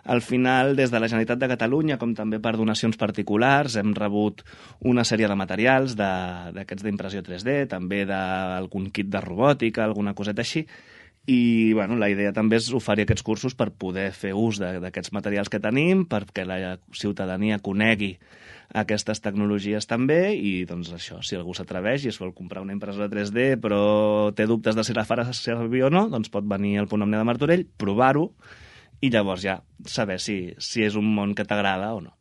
al final, des de la Generalitat de Catalunya, com també per donacions particulars, hem rebut una sèrie de materials d'aquests d'impressió 3D, també d'algun kit de robòtica, alguna coseta així, i bueno, la idea també és oferir aquests cursos per poder fer ús d'aquests materials que tenim, perquè la ciutadania conegui aquestes tecnologies també, i doncs això, si algú s'atreveix i es vol comprar una impressora 3D però té dubtes de si la farà servir o no, doncs pot venir al Punt Omnia de Martorell, provar-ho, i llavors ja saber si és un món que t'agrada o no.